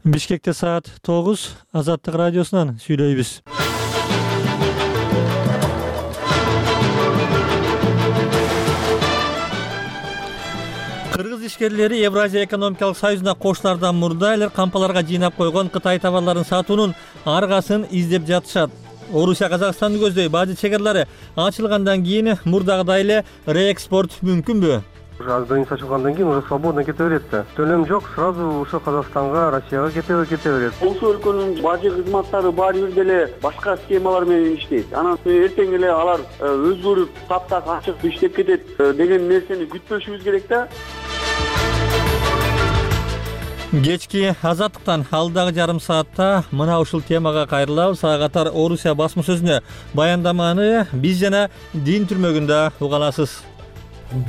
Бишкекте саат 9, Азаттык радиосунан сүйлөйбүз. Кыргыз ишкерлери Евразия экономикалык союзуна кошулардан мурда эле кампаларга жыйнап койгон Кытай товарларын сатуунун аргасын издеп жатышат. Орусия Казакстанды көздөй бажы чегарлары ачылгандан кийин мурдагыдай эле реэкспорт мүмкүнбү? Граница ачылгандан кийин уже свободно кете берет да. Төлөм жок, сразу ушо Казакстанга, Россияга кете берет. Болсо өлкөнүн бажы кызматтары баары бир деле башка схемалар менен иштейт. Анан эртең эле алар өзгөрүп, таптак ачык иштеп кетет деген нерсени күтпөшүбүз керек да. Кечки Азаттыктан алдагы жарым саатта мына ушул темага кайрылабыз. Ага катар Орусия басма сөзүнө баяндаманы биз жана дин түрмөгүндө угаласыз.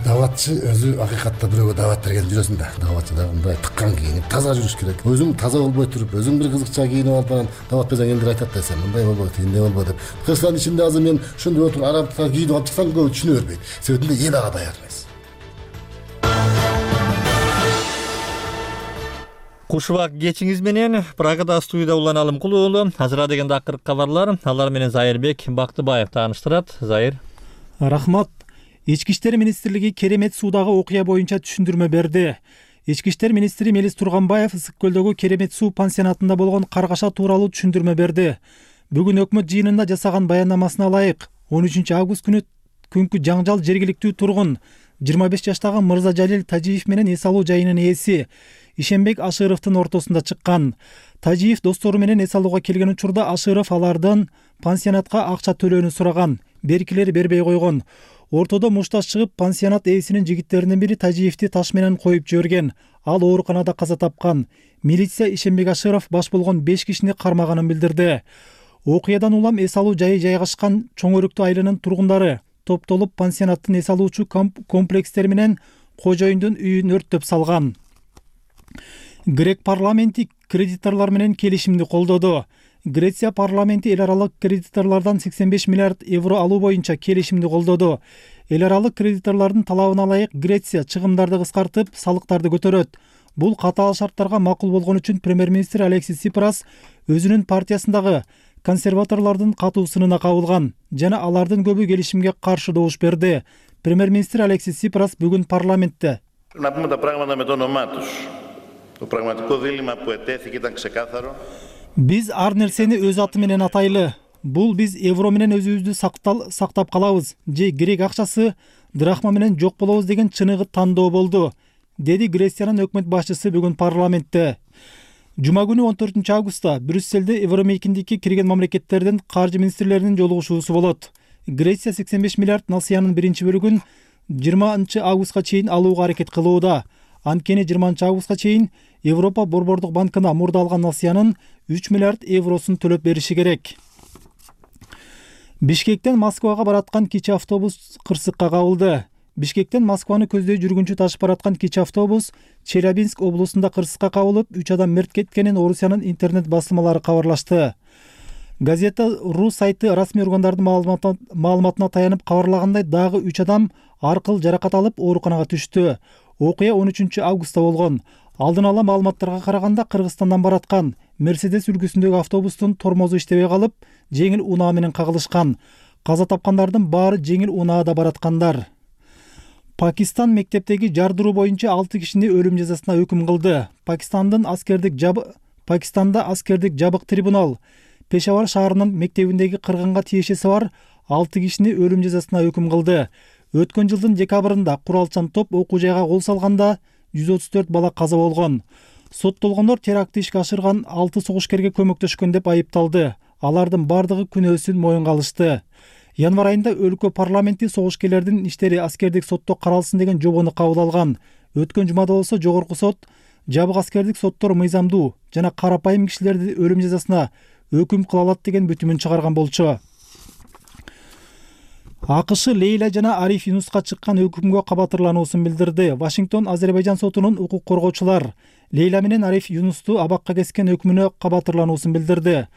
Даватчы өзү акыйкатта бирөөгө дават берген жүрөсүн да. Даватчы да мындай тыккан кийинип таза жүрүш керек. Өзүң таза болбой туруп, өзүң бир кызыкча кийинип алып анан дават берсең элдер айтат да, сен мындай болбойт, тигиндей болбойт деп. Кыргызстандын ичинде азыр мен ошондой отуруп арабтыкка кийинип алып чыксам көбү түшүнө бербейт. Себебинде эл ага даяр эмес. Кушубак кечиңиз менен Прагада студияда Улан Алымкул уулу. Азыр дегенде акыркы кабарлар, алар менен Зайырбек Бактыбаев тааныштырат. Зайыр. Рахмат. Ички иштер министрлиги Керемет суудагы окуя боюнча түшүндүрмө берди. Ички иштер министри Мелис Турганбаев Ысык көлдөгү Керемет суу пансионатында болгон каргаша тууралуу түшүндүрмө берди. Бүгүн өкмөт жыйынында жасаган баяндамасына ылайык 13 август күнкү жаңжал жергиликтүү тургун 25 жаштагы Мырза Жалил Тажиев менен эс алуу жайынын ээси Ишенбек Ашыровдун ортосунда чыккан. Тажиев достору менен эс алууга келген учурда Ашыров алардан пансионатка акча төлөөнү сураган. Беркилер бербей койгон. Ортодо мушташ чыгып, пансионат ээсинин жигиттеринин бири Тажиевди таш менен коюп жиберген. Ал ооруканада каза тапкан. Милиция Ишенбек Ашыров баш болгон 5 кишини кармаганын билдирди. Окуядан улам эс алуу жайы жайгашкан Чоң Өрүктүү айылынын тургундары топтолуп пансионаттын эс алуучу комплекстери менен кожоюндун үйүн өрттөп салган. Грек парламенти кредиторлор менен келишимди колдоду. Греция парламенти эл аралык кредиторлордон 85 миллиард евро алуу боюнча келишимди колдоду. Эл аралык кредиторлордун талабына ылайык Греция чыгымдарды кыскартып, салыктарды көтөрөт. Бул катаал шарттарга макул болгон үчүн премьер-министр Алексис Сипрас өзүнүн партиясындагы консерваторлордун катуу сынына кабылган жана алардын көбү келишимге каршы добуш берди. Премьер-министр Алексис Сипрас бүгүн парламентте Биз ар нерсени өз аты менен атайлы. Бул биз евро менен өзүбүздү сактап калабыз же грек акчасы драхма менен жок болобуз деген чыныгы тандоо болду, деди Грециянын өкмөт башчысы бүгүн парламентте. Жума күнү 14 августта Брюсселде Евромейкиндикке кирген мамлекеттердин каржы министрлеринин жолугушуусу болот. Греция 85 миллиард насыянын биринчи бөлүгүн 20 августка чейин алууга аракет кылууда. Анткени 20 августка чейин Европа Борбордук банкына мурда алган насыянын 3 миллиард евросун төлөп бериши керек. Бишкектен Москвага бараткан кичи автобус кырсыкка кабылды. Бишкектен Москваны көздөй жүргүнчү ташып бараткан кичи автобус Челябинск облусунда кырсыкка кабылып, 3 адам мерт кеткенин Орусиянын интернет басылмалары кабарлашты. Газета РУ сайты расмий органдардын маалыматына таянып кабарлагандай, дагы 3 адам аркыл жаракат алып ооруканага түштү. Окуя 13 августта болгон. Алдын ала маалыматтарга караганда Кыргызстандан бараткан Мерседес үлгүсүндөгү автобустун тормозу иштебей калып, жеңил унаа менен кагылышкан. Каза тапкандардын баары жеңил унаада бараткандар. Пакистан мектептеги жардыруу боюнча 6 кишини өлүм жазасына өкүм кылды. Пакистанда аскердик жабык трибунал Пешавар шаарынын мектебиндеги кыргынга тиешеси бар 6 кишини өлүм жазасына өкүм кылды. Өткөн жылдын декабрында куралчан топ окуу жайга кол салганда 134 бала каза болгон. Соттолгондор терактты ишке ашырган 6 согушкерге көмөктөшкөн деп айыпталды. Алардын бардыгы күнөөсүн моюнга алышты. Январь айында өлкө парламенти согушкерлердин иштери аскердик сотто каралсын деген жобону кабыл алган. Өткөн жумада болсо жогорку сот жабык аскердик соттор мыйзамдуу жана карапайым кишилерди өлүм жазасына өкүм кыла алат деген бүтүмүн чыгарган болчу. АКШ Лейла жана Ариф Юнуска чыккан өкүмгө кабатырлануусун билдирди. Вашингтон Азербайжан сотунун укук коргоочулар Лейла менен Ариф Юнусту абакка кескен өкүмүнө кабатырлануусун билдирди.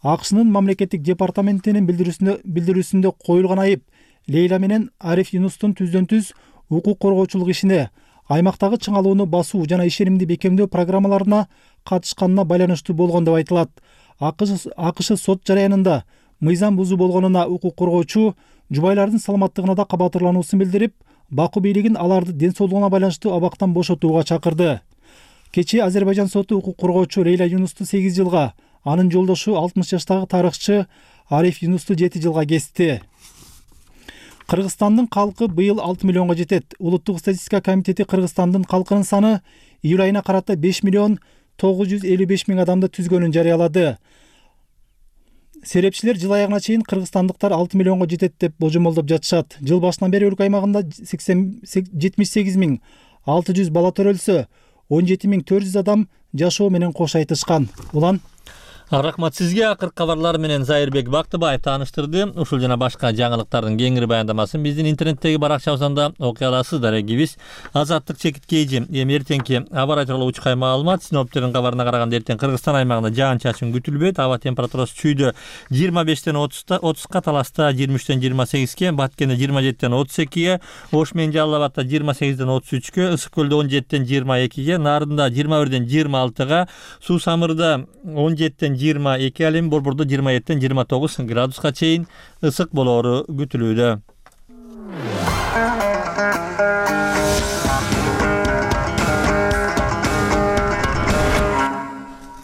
АКШнын мамлекеттик департаментинин билдирүүсүндө коюлган айып Лейла менен Ариф Юнустун түздөн-түз укук коргоочулук ишине, аймактагы чыңалууну басуу жана ишенимди бекемдөө программаларына катышканына байланыштуу болгон деп айтылат. АКШ сот жараянында мыйзам бузуу болгонуна укук коргоочу жубайлардын саламаттыгына да кабатырлануусун билдирип, Баку бийлигин аларды ден соолугуна байланыштуу абактан бошотууга чакырды. Кечээ Азербайжан соту укук коргоочу Лейла Юнусту 8 жылга, анын жолдошу 60 жаштагы тарыхчы Ариф Юнусту 7 жылга кести. Кыргызстандын калкы быйыл 6 миллионго жетет. Улуттук статистика комитети Кыргызстандын калкынын саны июль айына карата 5 миллион 955 миң адамды түзгөнүн жарыялады. Серепчилер жыл аягына чейин кыргызстандыктар 6 миллионго жетет деп божомолдоп жатышат. Жыл башынан бери өлкө аймагында 78.600 бала төрөлсө, 17.400 адам жашоо менен кош айтышкан. Улан Рахмат сизге. Акыркы кабарлар менен Зайырбек Бактыбаев тааныштырды. Ушул жана башка жаңылыктардын кеңири баяндамасын биздин интернеттеги баракчабыздан окуй аласыздар. Эгибиз Азаттык Чекиткейжи. Эми эртеңки аба ырайы тууралуу учкай маалымат. Синоптиктердин кабарына караганда эртең Кыргызстан аймагында жаан-чачын күтүлбөйт. Аба температурасы чүйдө 25-тен 30ка, Таласта 23-тен 28ке, Баткенде 27-тен 32ге, Ош менен Жалал Абадта 28-ден 33ке, Ысык Көлдө 17-тен 22ге, Нарында 21-ден 26га, Суу Самырда 17-тен 22, ал эми Борбордо 27-тен 29 градуска чейин ысык болоору күтүлүүдө.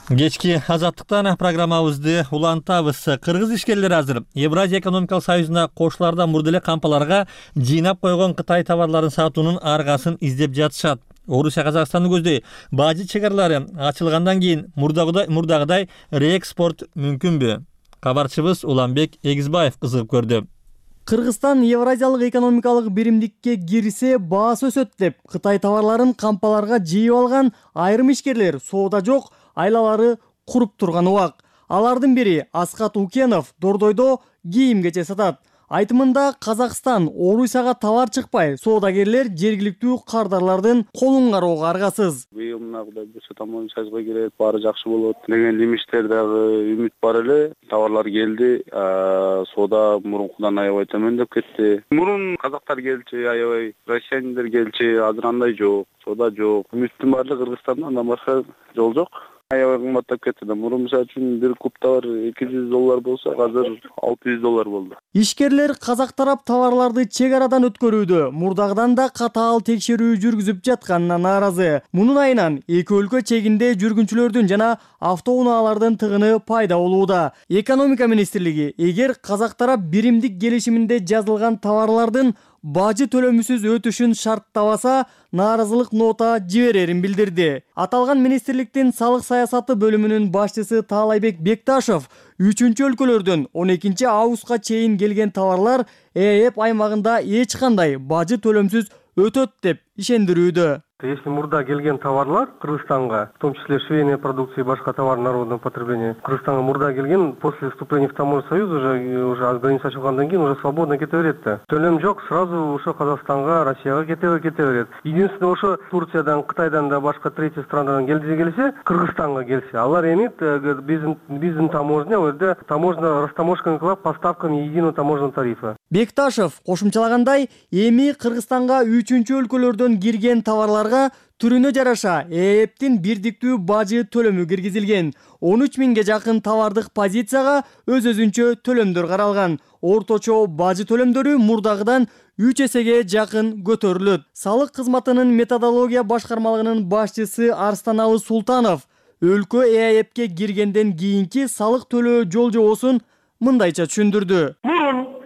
Кечки Азаттыктан программабызды улантабыз. Кыргыз ишкерлери азыр Евразия экономикалык союзуна кошулардан мурда эле кампаларга жыйнап койгон Кытай товарларын сатуунун аргасын издеп жатышат. Орусия Казакстанды көздөй бажы чекаралары ачылгандан кийин мурдагыдай реэкспорт мүмкүнбү? Кабарчыбыз Уланбек Эгизбаев кызыгып көрдү. Кыргызстан Евразиялык экономикалык биримдикке кирсе баасы өсөт деп Кытай товарларын кампаларга жыйып алган айрым ишкерлер соода жок, айлалары куруп турган убак. Алардын бири Аскат Укенов Дордойдо кийим-кече сатат. Айтымында Казакстан Орусияга товар чыкпай, соодагерлер жергиликтүү кардарлардын колун кароого аргасыз. Быйыл мынагыдай болсо тамам сайзга кирет, баары жакшы болот деген имиштер дагы үмүт бар эле. Товарлар келди, соода мурункудан аябай төмөндөп кетти. Мурун казактар келчү, аябай россияндар келчү, азыр андай жок, соода жок. Үмүттүн баары Кыргызстандан андан башка жол жок. Аябай кымбаттап кетти да. Мурун мисалы үчүн бир куб товар $200 болсо, азыр $600 болду. Ишкерлер казак тарап товарларды чек арадан өткөрүүдө мурдагыдан да катаал текшерүү жүргүзүп жатканына нааразы. Мунун айынан эки өлкө чегинде жүргүнчүлөрдүн жана автоунаалардын тыгыны пайда болууда. Экономика министрлиги эгер казак тарап биримдик келишиминде жазылган товарлардын бажы төлөмүсүз өтүшүн шарттабаса, нааразылык нота жиберерин билдирди. Аталган министрликтин салык саясаты бөлүмүнүн башчысы Таалайбек Бекташов 3-өлкөлөрдөн 12 августка чейин келген товарлар ЭЭП аймагында эч кандай бажы төлөмсүз өтөт деп ишендирүүдө. Если мурда келген товарлар Кыргызстанга, в том числе швейная продукция и башка товар народного потребления, Кыргызстанга мурда келген после вступления в таможенный союз уже граница ачылгандан кийин уже свободно кете берет да. Төлөм жок, сразу ошо Казакстанга, Россияга кете берет. Единственное, ошо Турциядан, Кытайдан да башка третий странадан келсе, Кыргызстанга келсе, алар эми биздин таможня, жерде таможня растаможканы кылып, поставканы единого таможенного тарифа. Бекташев кошумчалагандай, эми Кыргызстанга 3-өлкөлөрдөн кирген товарлар түрүнө жараша ЭЭПтин бирдиктүү бажы төлөмү киргизилген. 13 миңге жакын товардык позицияга өз-өзүнчө төлөмдөр каралган. Орточо бажы төлөмдөрү мурдагыдан 3 эсеге жакын көтөрүлөт. Салык кызматынын методология башкармалыгынын башчысы Арстаналы Султанов өлкө ЭЭПке киргенден кийинки салык төлөө жол жобосун мындайча түшүндүрдү.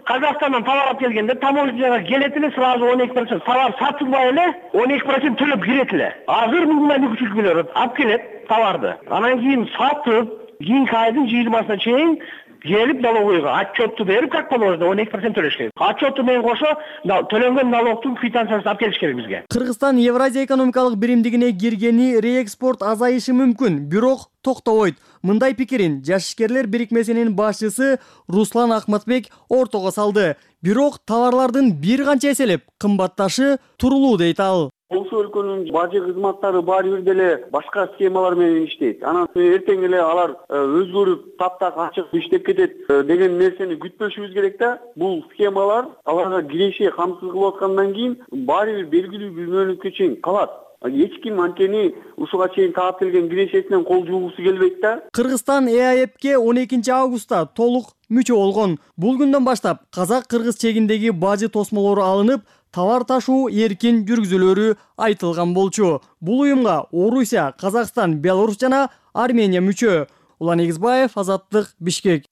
Казакстандан товар алып келгенде таможняга келет эле, сразу 12% товар сатылбай эле 12% төлөп кирет эле. Азыр мындай мүмкүнчүлүктөр алып келет товарды. Анан кийин сатып, кийинки айдын 20-сына чейин келип налоговойго отчетту берип, как положено 12% төлөш керек. Отчетту менен кошо төлөнгөн налогтун квитанциясын алып келиш керек бизге. Кыргызстан Евразия экономикалык биримдигине киргени реэкспорт азайышы мүмкүн, бирок токтобойт. Мындай пикирин Жашишкерлер бирикмесинин башчысы Руслан Ахматбек ортого салды. Бирок товарлардын бир канча эселеп кымбатташы турулуу дейт ал. Болсо өлкөнүн бажы кызматтары баары бир деле башка схемалар менен иштейт. Анан эртең эле алар өзгөрүп, таптак ачык иштеп кетет деген нерсени күтпөшүбүз керек да. Бул схемалар аларга киреше камсыз кылып аткандан кийин баары бир белгилүү бир мөөнөткө чейин калат. Эч ким анткени ушуга чейин таап келген кирешесинен кол жуугусу келбейт да. Кыргызстан ЭАЭПке 12 августта толук мүчө болгон. Бул күндөн баштап казак-кыргыз чегиндеги бажы тосмолору алынып, товар ташуу эркин жүргүзүлөрү айтылган болчу. Бул уюмга Орусия, Казакстан, Беларусь жана Армения мүчө. Улан Эгизбаев, Азаттык, Бишкек.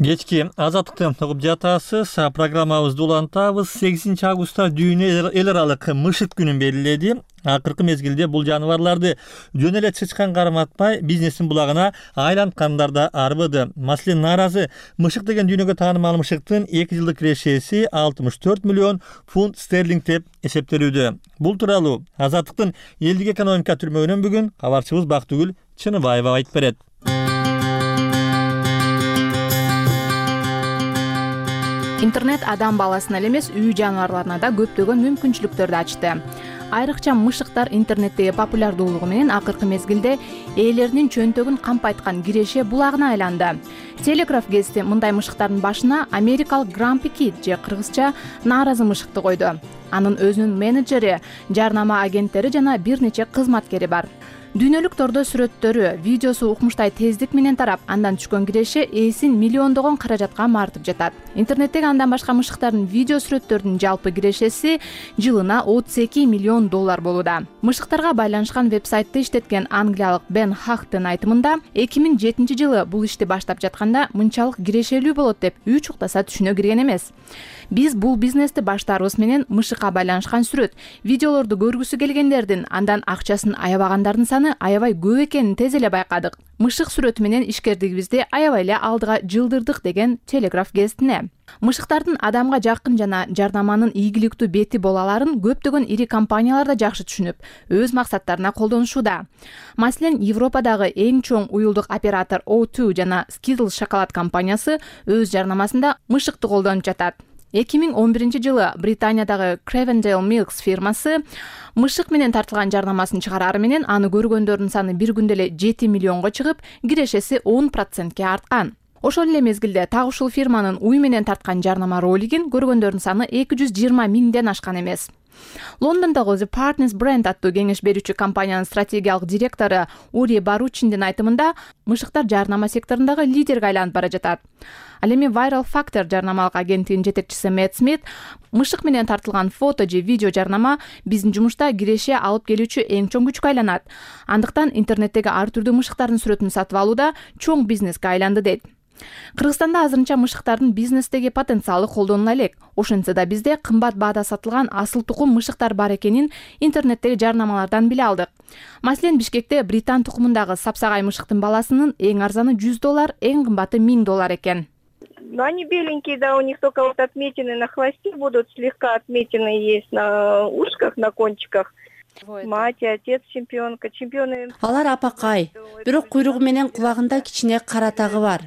Кечки Азаттыкты угуп жатасыз. Программабызды улантабыз. 8 августта дүйнө эл аралык мышык күнүн белгиледи. Акыркы мезгилде бул жаныбарларды жөн эле чычкан карматпай бизнестин булагына айланткандар да арбыды. Маселен, нааразы мышык деген дүйнөгө таанымал мышыктын 2 жылдык кирешеси 64 миллион фунт стерлинг деп эсептелүүдө. Бул тууралуу Азаттыктын элдик экономика түрмөгүнөн бүгүн кабарчыбыз Бактыгүл Чыныбаева айтып берет. Интернет адам баласына эле эмес, үй жаныбарларына да көптөгөн мүмкүнчүлүктөрдү ачты. Айрыкча мышыктар интернеттеги популярдуулугу менен акыркы мезгилде ээлеринин чөнтөгүн кампайткан киреше булагына айланды. Телеграф гезити мындай мышыктардын башына америкалык Грампи Кит же кыргызча нааразы мышыкты койду. Анын өзүнүн менеджери, жарнама агенттери жана бир нече кызматкери бар. Дүйнөлүк тордо сүрөттөрү, видеосу укмуштай тездик менен тарап, андан түшкөн киреше ээсин миллиондогон каражатка мартып жатат. Интернеттеги андан башка мышыктардын видео сүрөттөрдүн жалпы кирешеси жылына 32 миллион доллар болууда. Мышыктарга байланышкан вебсайтты иштеткен англиялык Бен Хахтын айтымында, 2007 жылы бул ишти баштап жатканда мынчалык кирешелүү болот деп үй чуктаса түшүнө кирген эмес. Биз бул бизнести баштаарыбыз менен мышыкка байланышкан сүрөт, видеолорду көргүсү келгендердин, андан акчасын аябагандардын саны аябай көп экенин тез эле байкадык. Мышык сүрөтү менен ишкердигибизди аябай эле алдыга жылдырдык деген Телеграф гезитине. Мышыктардын адамга жакын жана жарнаманын ийгиликтүү бети боло аларын көптөгөн ири компаниялар да жакшы түшүнүп, өз максаттарына колдонушууда. Маселен, Европадагы эң чоң уюлдук оператор O2 жана Skittles шоколад компаниясы өз жарнамасында мышыкты колдонуп жатат. 2011 жылы Британиядагы Cravendale Milks фирмасы мышык менен тартылган жарнамасын чыгарары менен аны көргөндөрдүн саны бир күндө эле 7 миллионго чыгып, кирешеси 10%ке арткан. Ошол эле мезгилде так ушул фирманын уй менен тарткан жарнама ролигин көргөндөрдүн саны 220 миңден ашкан эмес. Лондондогу The Partners Brand аттуу кеңеш берүүчү компаниянын стратегиялык директору Ури Баручиндин айтымында, мышыктар жарнама секторундагы лидерге айланып бара жатат. Ал эми Viral Factor жарнамалык агенттигинин жетекчиси Мэтт Смит, мышык менен тартылган фото же видео жарнама биздин жумушта киреше алып келүүчү эң чоң күчкө айланат. Андыктан интернеттеги ар түрдүү мышыктардын сүрөтүн сатып алуу да чоң бизнеске айланды дейт. Кыргызстанда азырынча мышыктардын бизнестеги потенциалы колдонула элек. Ошентсе да бизде кымбат баада сатылган асыл тукум мышыктар бар экенин интернеттеги жарнамалардан биле алдык. Маселен, Бишкекте британ тукумундагы сапсагай мышыктын баласынын эң арзаны $100, эң кымбаты $1000 экен. Но они беленькие, да, у них только вот отметины на хвосте будут, слегка отметины есть на ушках, на кончиках. Мать, отец чемпионка, чемпионы. Алар апакай, бирок куйругу менен кулагында кичине кара тагы бар.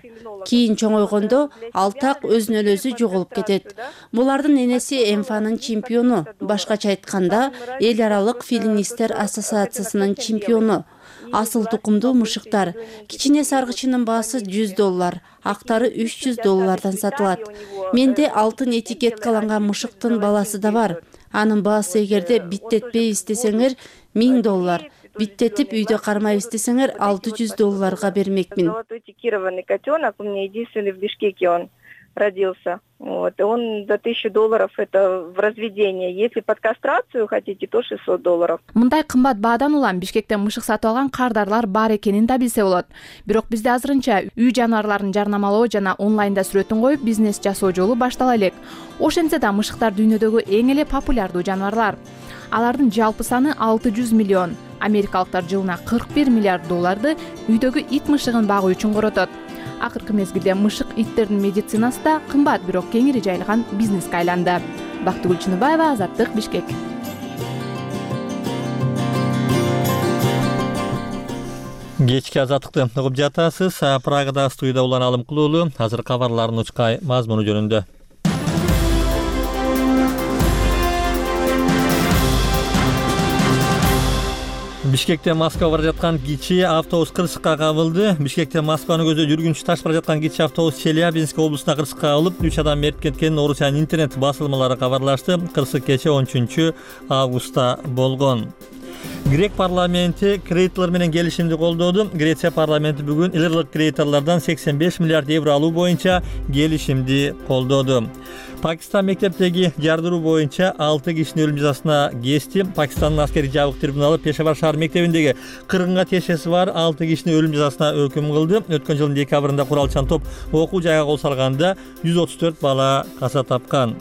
Кийин чоңойгондо ал так өзүнөн өзү жоголуп кетет. Булардын энеси МФАнын чемпиону, башкача айтканда, эл аралык филинистер ассоциациясынын чемпиону. Асыл тукумдуу мышыктар. Кичине саргычынын баасы $100, актары $300 сатылат. Менде алтын этикеткаланган мышыктын баласы да бар. Анын баасы эгерде биттетпей истесеңер $1000, биттетип үйдө кармай истесеңер $600 бермекмин. Этикированный котенок, у меня единственный в Бишкеке он родился. Вот, он до $1000 это в разведение. Если под кастрацию хотите, то $600. Мындай кымбат баадан улам Бишкектен мышык сатып алган кардарлар бар экенин да билсе болот. Бирок бизде азырынча үй жаныбарларын жарнамалоо жана онлайнда сүрөтүн коюп бизнес жасоо жолу баштала элек. Ошентсе да мышыктар дүйнөдөгү эң эле популярдуу жаныбарлар. Алардын жалпы саны 600 миллион. Америкалыктар жылына $41 миллиард үйдөгү ит мышыгын багуу үчүн коротот. Акыркы мезгилде мышык иттердин медицинасы да кымбат, бирок кеңири жайылган бизнеске айланды. Бактыгүл Чыныбаева, Азаттык, Бишкек. Кечки Азаттыкты угуп жатасыз. Прагада студияда Улан Алымкулуу уулу. Азыр кабарлардын учкай мазмуну жөнүндө. Бишкектен Москвага бара жаткан кичи автобус кырсыкка кабылды. Бишкектен Москваны көздөп жүргүнчү таш бара жаткан кичи автобус Челябинск облусуна кырсыкка кабылып, 3 адам мерт кеткенин Орусиянын интернет басылмалары кабарлашты. Кырсык кечээ 13 августта болгон. Грек парламенти кредиторлор менен келишимди колдоду. Греция парламенти бүгүн илгырлык кредиторлордон 85 миллиард евро алуу боюнча келишимди колдоду. Пакистан мектептеги жардыруу боюнча 6 кишинин өлүм жазасына кести. Пакистандын аскерий жабык трибуналы Пешавар шаар мектебиндеги 40 тиешеси бар 6 кишинин өлүм жазасына өкүм кылды. Өткөн жылдын декабрында куралчан топ окуу жайга кол салганда 134 бала каза тапкан.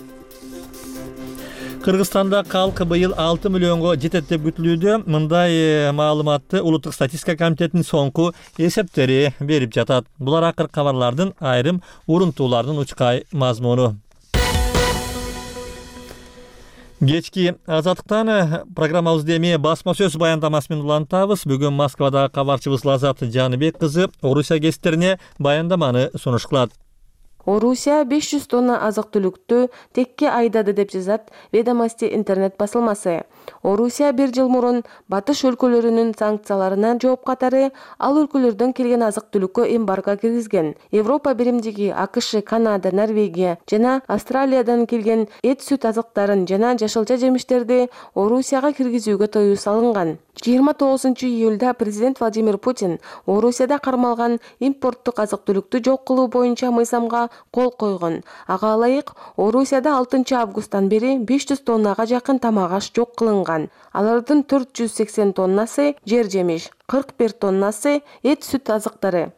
Кыргызстанда калкы быйыл 6 миллионго жетет деп күтүлүүдө. Мындай маалыматты Улуттук статистика комитетинин соңку эсептери берип жатат. Булар акыркы кабарлардын айрым урунтуулардын учкай мазмуну. Кечки Азаттыктан программабызды эми басма сөз баяндамасы менен улантабыз. Бүгүн Москвадагы кабарчыбыз Лазат Жаныбек кызы Орусия гезиттерине баяндаманы сунуш кылат. Орусия 500 тонна азык-түлүктү текке айдады деп жазат Ведомости интернет басылмасы. Орусия бир жыл мурун батыш өлкөлөрүнүн санкцияларына жооп катары ал өлкөлөрдөн келген азык-түлүккө эмбарго киргизген. Европа биримдиги АКШ, Канада, Норвегия жана Австралиядан келген эт, сүт азыктарын жана жашылча жемиштерди Орусияга киргизүүгө тыюу салынган. 29 июлда президент Владимир Путин Орусияда кармалган импорттук азык-түлүктү жок кылуу боюнча мыйзамга кол койгон. Ага ылайык Орусияда 6 августтан бери 500 тоннага жакын тамак аш жок кылынган. Алардын 480 тоннасы жер жемиш, 41 тоннасы эт, сүт азыктары.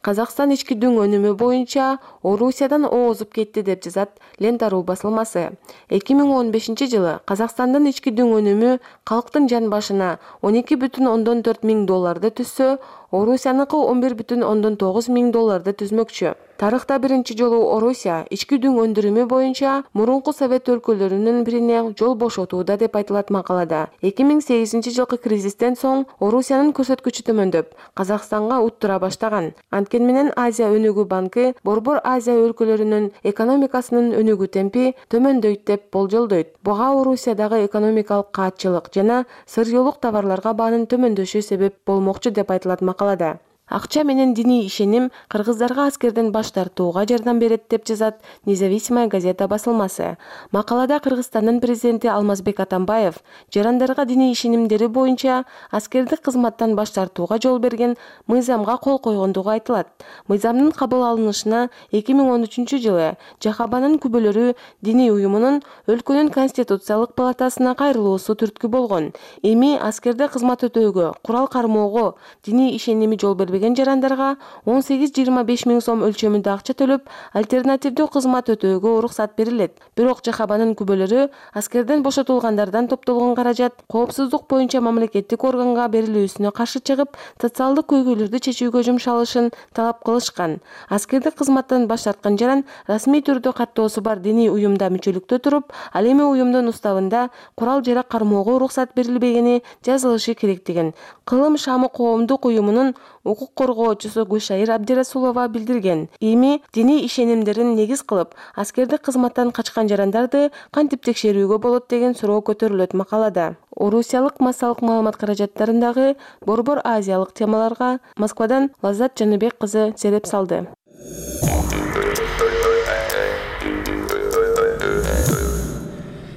Казакстан ички дүң өнүмү боюнча Орусиядан оозуп кетти деп жазат Лента.ру басылмасы. 2015 жылы Казакстандын ички дүң өнүмү калктын жан башына 12,4 миң долларды түзсө, Орусияныкы 11,9 миң долларды түзмөкчү. Тарыхта биринчи жолу Орусия ички дүң өндүрүмү боюнча мурунку совет өлкөлөрүнүн бирине жол бошотууда деп айтылат макалада. 2008 жылкы кризистен соң Орусиянын көрсөткүчү төмөндөп, Казакстанга уттура баштаган. Анткени менен Азия өнүгүү банкы Борбор Азия өлкөлөрүнүн экономикасынын өнүгүү темпи төмөндөйт деп болжолдойт. Буга Орусиядагы экономикалык каатчылык жана сырьёолук товарларга баанын төмөндөшү себеп болмокчу деп айтылат макалада. Акча менен диний ишеним кыргыздарга аскерден баш тартууга жардам берет деп жазат Независимая газета басылмасы. Макалада Кыргызстандын президенти Алмазбек Атамбаев жарандарга диний ишенимдери боюнча аскердик кызматтан баш тартууга жол берген мыйзамга кол койгондугу айтылат. Мыйзамдын кабыл алынышына 2013 жылы Жахабанын күбөлөрү диний уюмунун өлкөнүн конституциялык палатасына кайрылуусу түрткү болгон. Эми аскерде кызмат өтөөгө, курал кармоого диний ишеними жол бербеген жарандарга 18-25 миң сом өлчөмүндө акча төлөп, альтернативдүү кызмат өтөөгө уруксат берилет. Бирок Жахабанын күбөлөрү аскерден бошотулгандардан топтолгон каражат коопсуздук боюнча мамлекеттик органга берилүүсүнө каршы чыгып, социалдык көйгөйлөрдү чечүүгө жумшалышын талап кылышкан. Аскердик кызматтан баш тарткан жаран расмий түрдө каттоосу бар диний уюмда мүчөлүктө туруп, ал эми уюмдун уставында курал-жарак кармоого уруксат берилбегени жазылышы керек деген Кылым Шамы коомдук уюмунун укук коргоочусу Гүлшайыр Абдирасулова билдирген. Эми диний ишенимдерин негиз кылып, аскердик кызматтан качкан жарандарды кантип текшерүүгө болот деген суроо көтөрүлөт макалада. Орусиялык массалык маалымат каражаттарындагы борбор азиялык темаларга Москвадан Лазат Жаныбек кызы сереп салды.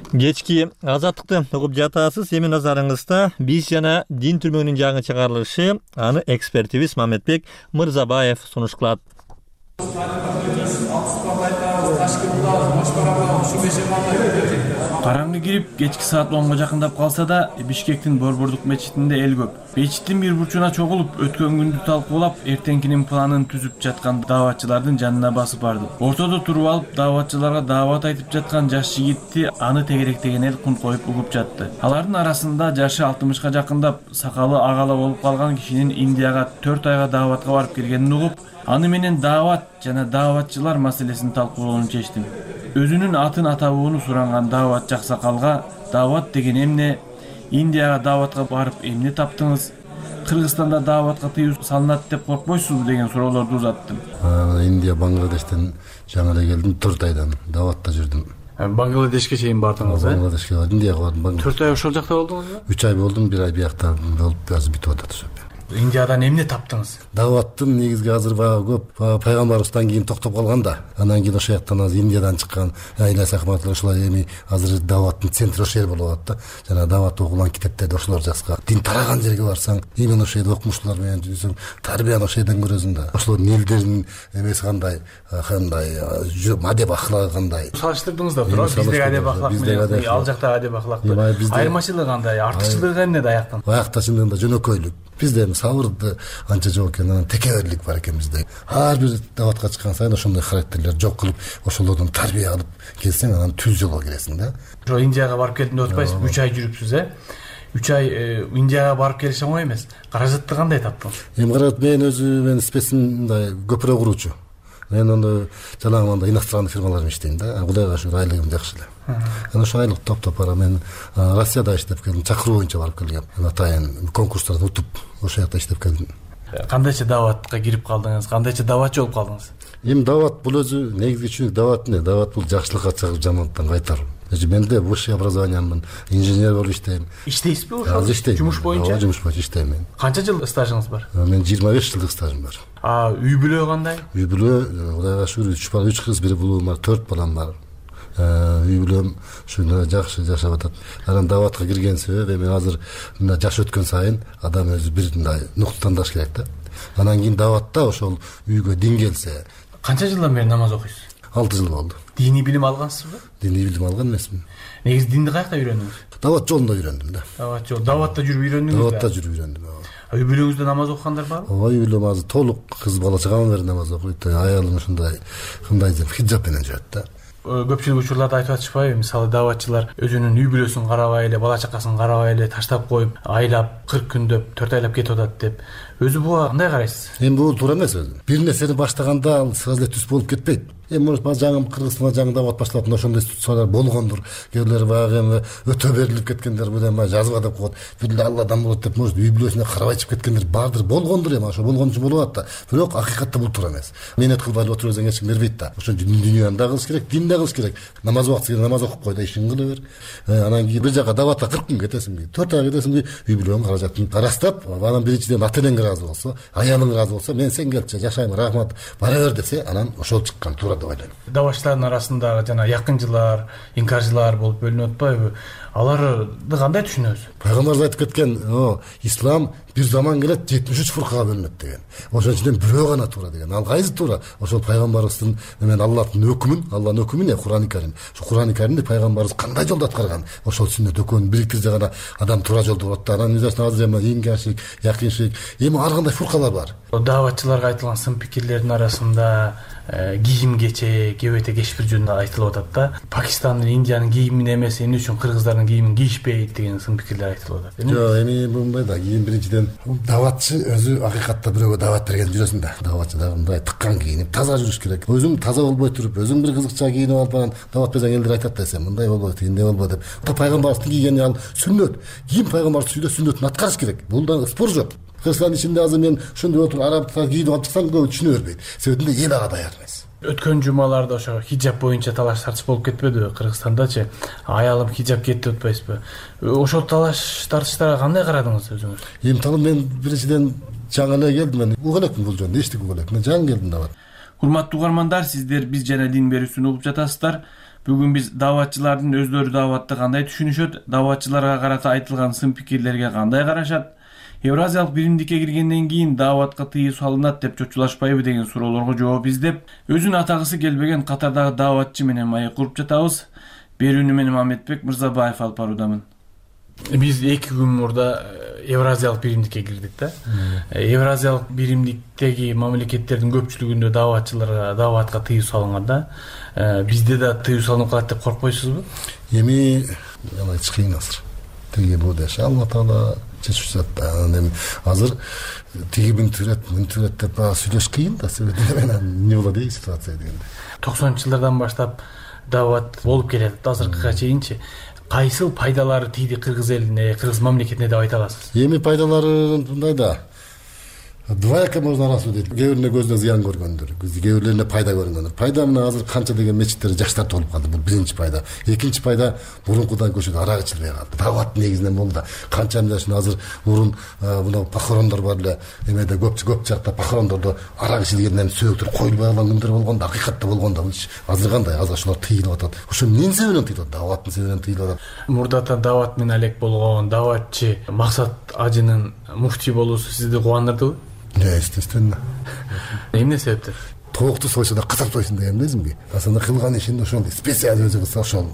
Кечки Азаттыкты угуп жатасыз. Эми назарыңызда биз жана дин түрмөгүнүн жаңы чыгарылышы, аны экспертибиз Мамедбек Мырзабаев сунуш кылат. Караңгы кирип, кечки саат 10го жакындап калса да, Бишкектин Борбордук мечитинде эл көп. Мечиттин бир бурчуна чогулуп, өткөн күндү талкуулап, эртеңкинин планын түзүп жаткан дааватчылардын жанына басып бардым. Ортодо туруп алып, дааватчыларга даават айтып жаткан жаш жигитти аны тегеректеген эл кун коюп угуп жатты. Алардын арасында жашы 60га жакындап, сакалы агала болуп калган кишинин Индияга 4 айга дааватка барып келгенин угуп, аны менен даават жана дааватчылар маселесин талкуулоону чечтим. Өзүнүн атын атабууну суранган дааватчы аксакалга даават деген эмне, Индияга дааватка барып эмне таптыңыз, Кыргызстанда дааватка тыюу салынат деп коркпойсузбу деген суроолорду узаттым. Индия, Бангладештен жаңы эле келдим, 4 айдан дааватта жүрдүм. Бангладешке чейин бардыңыз, Бангладешке бардым, Индияга бардым. 4 ай ошол жакта болдуңузбу? 3 ай болдум, 1 ай биякта болуп азыр бүтүп атат ошо. Индиядан эмне таптыңыз? Даваттын негизги азыр көп пайгамбарыбыздан кийин токтоп калган да. Анан кийин ошол жактан азыр Индиядан чыккан Айлас Ахматовлар ошолар эми азыр даваттын центри ошол жер болуп атат да. Жана дават окулган китептерди ошолор жазган. Дин тараган жерге барсаң, именно ошол жерде окумуштуулар менен жүрсөң, тарбияны ошол жерден көрөсүң да. Ошолордун элдеринин эмеси кандай адеп ахлагы кандай. Салыштырдыңыз да туура, биздеги адеп ахлак менен ал жактагы адеп ахлакты. Айырмачылыгы кандай? Артыкчылыгы эмнеде аяктан? Аякта чындыгында жөнөкөйлүк. Бизде эми сабырды анча жок экен, анан текеберлик бар экен бизде. Ар бир даватка чыккан сайын ошондой характерлер жок кылып, ошолордон тарбия алып келсең, анан түз жолго киресиң да. Ошо Индияга барып келдим деп атпайсызбы? 3 ай жүрүпсүз, 3 ай Индияга барып келиш оңой эмес. Каражатты кандай таптыңыз? Эми каражат мен специн мындай көпүрө куруучу. Мен ону жанагы мындай иностранный фирмаларда иштейм да. Кудайга шүгүр айлыгым жакшы эле. Анан ошо айлык топтоп бара мен Россияда иштеп келдим, чакыруу боюнча барып келгем. Атайын конкурстарда утуп ошол жакта иштеп келдим. Кандайча даватка кирип калдыңыз? Кандайча даватчы болуп калдыңыз? Эми дават бул өзү негизги түшүнүк дават эмне? Дават бул жакшылыкка чыгып жамандыктан кайтаруу. Менде высшее образованиямын, инженер болуп иштейм. Иштейсизби ошо? Жумуш боюнча? Ооба, жумуш боюнча иштейм мен. Канча жыл стажыңыз бар? Мен 25 жылдык стажым бар. Үй бүлө кандай? Үй бүлө, Кудайга шүгүр, 3 бала, 3 кыз, 1 улуум бар, 4 балам бар. Үй бүлөм ушундай жакшы жашап атат. Анан даватка кирген себеп эми азыр мына жаш өткөн сайын адам өзү бир мындай нуктандаш керек да. Анан кийин даватта ошол үйгө дин келсе. Канча жылдан бери намаз окуйсуз? 6 жыл болду. Диний билим алгансызбы? Диний билим алган эмесмин. Негизи динди каякта үйрөндүңүз? Дават жолунда үйрөндүм да. Даватта жүрүп үйрөндүңүз? Даватта жүрүп үйрөндүм. Үй бүлөңүздө намаз окугандар барбы? Ооба, үй бүлөм азыр толук кыз бала чыгаман бери намаз окуйт. Аялым ушундай хиджаб менен жүрөт да. Көпчүлүк учурларда айтып атышпайбы, мисалы даватчылар өзүнүн үй бүлөсүн карабай эле, бала чакасын карабай эле таштап коюп, айлап, 40 күндөп, 4 айлап кетип атат деп. Өзү буга кандай карайсыз? Эми бул туура эмес өзү. Бир нерсени баштаганда ал сразу эле түз болуп кетпейт. Эми жаңы Кыргызстанда жаңы дават башталат, ошондой институциялар болгондур. Кээрлер баягы эми өтө берилип кеткендер, бул эми жазба деп коет. Бир Алладан болот деп, может, үй бүлөсүнө карабай чыгып кеткендер бардыр, болгондур эми, ошо болгон үчүн болуп атат да. Бирок акыйкатта бул туура эмес. Менет кылбай эле отура берсең эч ким бербейт да. Ошо дүйнөнү да кылыш керек, дин да кылыш керек. Намаз убакыты келгенде намаз окуп кой да, ишин кыла бер. Анан кийин бир жака даватка 40 күн кетесиңби, 4 ай кетесиңби, үй бүлөң каражатын карастап, анан биринчиден ата энең ыраазы болсо, аялың ыраазы болсо, мен сен келчи, жашайм, рахмат, бара бер десе, анан ошол чыккан туура деп ойлойм. Давачлардын арасында жана якынчылар, инкарчылар болуп бөлүнүп атпайбы? Аларды кандай түшүнөбүз? Пайгамбарыбыз айтып кеткен, ислам бир заман келет 73 фуркага бөлүнөт деген. Ошон ичинен бирөө гана туура деген. Ал кайсы туура? Ошол пайгамбарыбыздын мен Аллахтын өкүмүн, Аллахтын өкүмү не? Кур'ан-ы Карим. Ошо Кур'ан-ы Каримди пайгамбарыбыз кандай жолдо аткарган? Ошол сүннөт экөөнү бириктирсе гана адам туура жолдо болот да. Анан азыр эми инкарчылык, якынчылык, эми ар кандай фуркалар бар. Даватчыларга айтылган сын пикирлердин арасында кийим кече, кебете кечпир жөнүндө айтылып атат да. Пакистандын, Индиянын кийимин эмес, эмне үчүн кыргыздардын кийимин кийишпейт деген сын пикирлер айтылып атат. Жок, эми мындай да, кийим биринчиден даватчы өзү акыйкатта бирөөгө дават берген жүрөсүң да. Даватчы да мындай тыккан кийинип, таза жүрүш керек. Өзүң таза болбой туруп, өзүң бир кызыкча кийинип алып анан дават берсең элдер айтат да, сен мындай болбойт, эмне болбойт деп. Пайгамбарыбыздын кийгени ал сүннөт. Кийим пайгамбарыбыз сүннөтүн аткарыш керек. Бул да спор жок. Кыргызстандын ичинде азыр мен ошондой отуруп арабтар кийинип алып чыксам көбү түшүнө бербейт. Себебинде эл ага даяр эмес. Өткөн жумаларда ошо хиджаб боюнча талаш тартыш болуп кетпедиби Кыргызстандачы? Аялым хиджаб кийет деп атпайсызбы? Ошол талаш тартыштарга кандай карадыңыз өзүңүз? Эми талым мен биринчиден жаңы эле келдим, мен угуп элекмин бул жөнүндө, эчтеке угуп элек. Мен жаңы келдим да. Урматтуу угармандар, сиздер биз жана дин берүүсүн угуп жатасыздар. Бүгүн биз даватчылардын өздөрү даватты кандай түшүнүшөт, даватчыларга карата айтылган сын пикирлерге кандай карашат, Евразиялык биримдикке киргенден кийин даватка тыюу салынат деп чочулашпайбы деген суроолорго жооп издеп, өзүн атагысы келбеген катардагы даватчы менен маек куруп жатабыз. Берүүнү мен Мамедбек Мырзабаев алып баруудамын. Биз 2 күн мурда Евразиялык биримдикке кирдик да. Евразиялык биримдиктеги мамлекеттердин көпчүлүгүндө даватчыларга даватка тыюу салынган да. Бизде да тыюу салынып калат деп коркпойсузбу? Эми алай чыгыйын азыр. Тиги бул деши Алла Таала чечип жатат. Эми азыр тиги мүнтүрөт деп сүйлөш кыйын да. Себеби менен эмне болот дейт ситуация дегенде. 90-жылдардан баштап дават болуп келет. Азыркыга чейинчи кайсыл пайдалары тийди кыргыз элине, кыргыз мамлекетине деп айта аласыз? Эми пайдалары мындай да. Двояко можно арасуу дейт. Кээ бирине көзүнө зыян көргөндөр, кээ бирлерине пайда көргөндөр. Пайда мына азыр канча деген мечиттер жаштар толуп калды. Бул биринчи пайда. Экинчи пайда мурункудан көчөдө арак ичилбей калды. Дават негизинен болду да. Канча жашын азыр мурун мына похорондор бар эле, эмеде көп жакта похорондордо арак ичилгенден сөөктөр коюлбай калган күндөр болгондо, акыйкатта болгондо азыр кандай азыр ошолор тыйылып атат. Ошо эмненин себебинен тыйылып атат? Даваттын себебинен тыйылып атат. Мурдата дават менен алек болгон даватчы Максат Ажынын муфтий болуусу сизди кубандырдыбы? Естественно. Эмне себептен? Тоокто сойсо да катап сойсун деген эмнесиңби? Асында кылган ишин ошол специаль өзү кылса ошол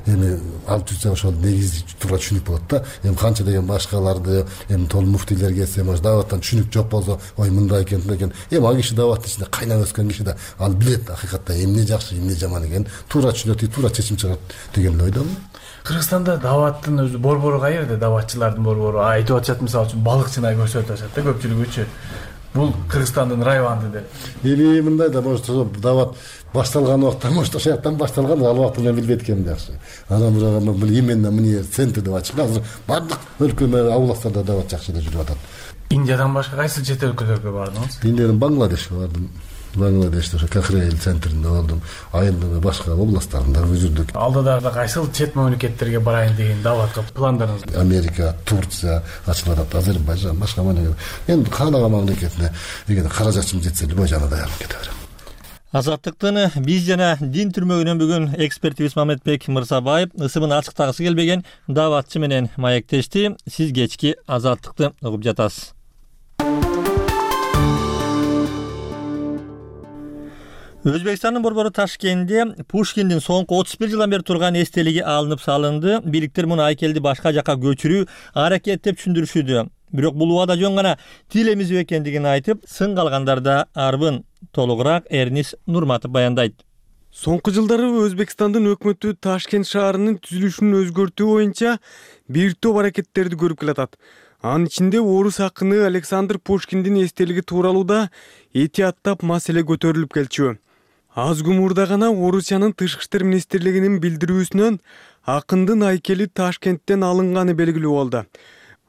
эми алып жүрсө ошол негизи туура түшүнүк болот да. Эми канча деген башкаларды, эми тол муфтийлер келсе, может даваттан түшүнүк жок болсо, ой мындай экен, мындай экен. Эми ал киши даваттын ичинде кайнап өскөн киши да ал билет акыйкатта эмне жакшы, эмне жаман экенин туура түшүнөт, туура чечим чыгат деген ойдомун. Кыргызстанда даваттын өзү борбору каерде? Даватчылардын борбору айтып атышат, мисалы үчүн балыкчына көрсөтүп атышат да көпчүлүгүчү. Бул Кыргызстандын районунда деп. Эми мындай да может дават башталган убакта, может ошол жактан башталган, ал убакта мен билбейт экенмин жакшы. Анан бирок бул именно мына центр деп ачылган. Азыр бардык өлкө областтарда дават жакшы жүрүп атат. Индиядан башка кайсы чет өлкөлөргө бардыңыз? Индиянын Бангладешке бардым. Бангладеште ошо Кахрейл центринде болдум. Айылдын башка областтарында жүрдүк. Алдыда кайсыл чет мамлекеттерге барайын деген даватка пландарыңыз? Америка, Турция ачылып атат, Азербайжан, башка мамлекет. Эми каалаган мамлекетине эгер каражатым жетсе, любой жана даярдым кете берем. Азаттыктын биз жана дин түрмөгүнөн бүгүн экспертибиз Мамедбек Мырзабаев ысымын ачыктагысы келбеген даватчы менен маектешти. Сиз кечки Азаттыкты угуп жатасыз. Өзбекстандын борбору Ташкентте Пушкиндин соңку 31 жылдан бери турган эстелиги алынып салынды. Бийликтер муну айкелди башка жака көчүрүү аракет деп түшүндүрүшүүдө. Бирок бул убада жөн гана тил эмизүү экендигин айтып, сын калгандарда арбын. Толугураак Эрнис Нурматов баяндайт. Соңку жылдары Өзбекстандын өкмөтү Ташкент шаарынын түзүлүшүн өзгөртүү боюнча бир топ аракеттерди көрүп келатат. Анын ичинде орус акыны Александр Пушкиндин эстелиги тууралууда этияттап маселе көтөрүлүп келчү. Аз күн мурда гана Орусиянын Тышкы иштер министрлигинин билдирүүсүнөн акындын айкели Ташкенттен алынганы белгилүү болду.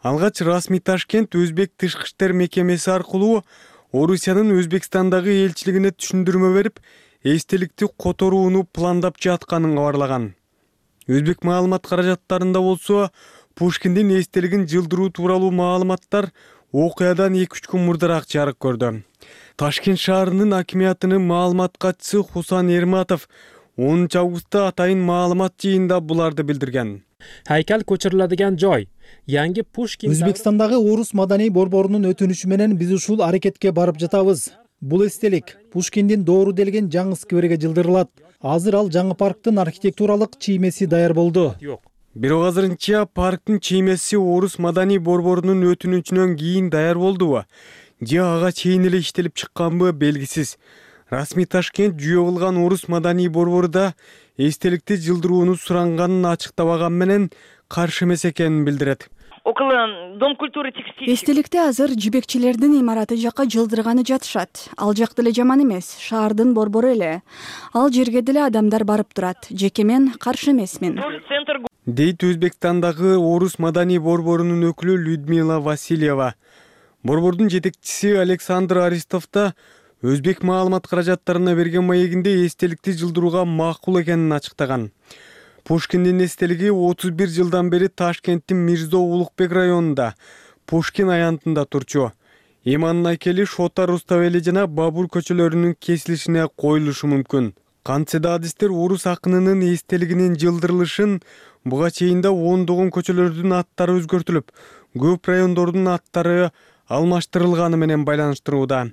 Алгач расмий Ташкент Өзбек Тышкы иштер мекемеси аркылуу Орусиянын Өзбекстандагы элчилигине түшүндүрмө берип, эстеликти которууну пландап жатканын кабарлаган. Өзбек маалымат каражаттарында болсо, Пушкиндин эстелигин жылдыруу тууралуу маалыматтар окуядан 2-3 күн мурдараак жарык көрдү. Ташкент шаарынын акимиятынын маалымат катчысы Хусан Эрматов 10 августта атайын маалымат жыйында буларды билдирген. Хайкал көчүрүлөдүгөн жой Yangi Pushkin Өзбекстандагы орус маданий борборунун өтүнүшү менен биз ушул аракетке барып жатабыз. Бул эстелик Пушкиндин доору делген жаңы скверге жылдырылат. Азыр ал жаңы парктын архитектуралык чиймеси даяр болду. Бирок азырынча парктын чиймеси орус маданий борборунун өтүнүчүнөн кийин даяр болдубу? Же ага чейин эле иштелип чыкканбы белгисиз. Расмий Ташкент жүйө кылган орус маданий борборуда эстеликти жылдырууну суранганын ачыктабаган менен каршы эмес экенин билдирет. Эстеликти азыр жибекчилердин имараты жакка жылдырганы жатышат. Ал жак деле жаман эмес, шаардын борбору эле. Ал жерге деле адамдар барып турат. Жеке мен каршы эмесмин. Дейт Өзбекстандагы орус маданий борборунун өкүлү Людмила Васильева. Борбордун жетекчиси Александр Аристов да өзбек маалымат каражаттарына берген маегинде эстеликти жылдырууга макул экенин ачыктаган. Пушкиндин эстелиги 31 жылдан бери Ташкенттин Мирзо Улукбек районунда Пушкин аянтында турчу. Иманын айкели Шота Руставели жана Бабур көчөлөрүнүн кесилишине коюлушу мүмкүн. Кантсе да адистер орус акынынын эстелигинин жылдырылышын буга чейин да ондогон көчөлөрдүн аттары өзгөртүлүп, көп райондордун аттары алмаштырылганы менен байланыштырууда.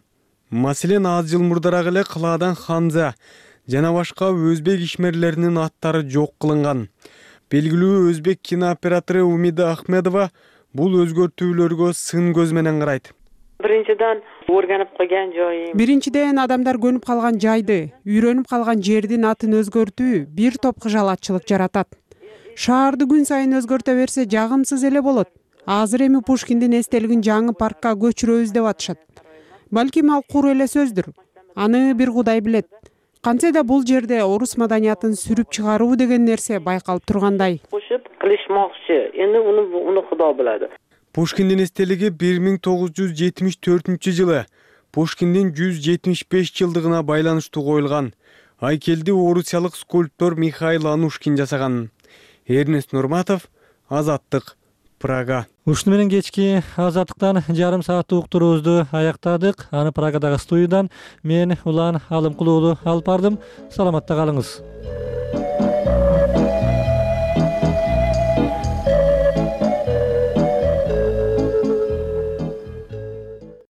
Маселен, аз жыл мурдараак эле Кылаадан Ханза жана башка өзбек ишмерлеринин аттары жок кылынган. Белгилүү өзбек кинооператору Умида Ахмедова бул өзгөртүүлөргө сын көз менен карайт. Биринчиден адамдар көнүп калган жайды, үйрөнүп калган жердин атын өзгөртүү бир топ кыжалатчылык жаратат. Шаарды күн сайын өзгөртө берсе жагымсыз эле болот. Азыр эми Пушкиндин эстелигин жаңы паркка көчүрөбүз деп атышат. Балким ал куру эле сөздүр. Аны бир Кудай билет. Кантсе да бул жерде орус маданиятын сүрүп чыгаруу деген нерсе байкалып тургандай. Пушкиндин эстелиги 1974 Пушкиндин 175 жылдыгына байланыштуу коюлган. Айкелди орусиялык скульптор Михаил Анушкин жасаган. Эрнест Нурматов, Азаттык, Прага. Ушуну менен кечки Азаттыктан жарым сааттык уктуруубузду аяктадык. Аны Прагадагы студиядан мен Улан Алымкулуулу алып бардым. Саламатта калыңыз.